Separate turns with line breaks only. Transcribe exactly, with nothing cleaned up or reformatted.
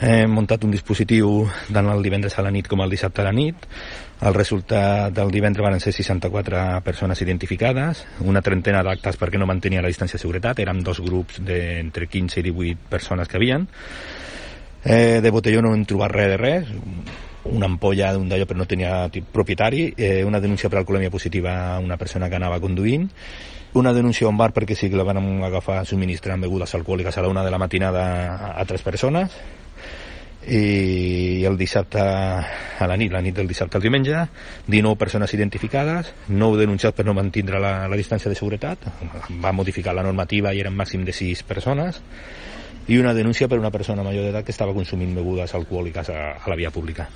Hem muntat un dispositiu tant el divendres a la nit com el dissabte a la nit. El resultat del divendres van ser seixanta-quatre persones identificades, una trentena d'actes perquè no mantenia la distància de seguretat, érem dos grups d'entre quinze i divuit persones que havien. Eh, de botelló no hem trobat res de res, una ampolla d'un d'allò però no tenia propietari, eh, una denúncia per alcoholèmia positiva a una persona que anava conduint, una denúncia a un bar perquè sí que la van agafar subministrant begudes alcohòliques a la una de la matinada a tres persones, i el dissabte a la nit, la nit del dissabte al diumenge, dinou persones identificades, nou denunciats per no mantindre la, la distància de seguretat, va modificar la normativa i eren màxim de sis persones, i una denúncia per una persona major d'edat que estava consumint begudes alcohòliques a, a la via pública.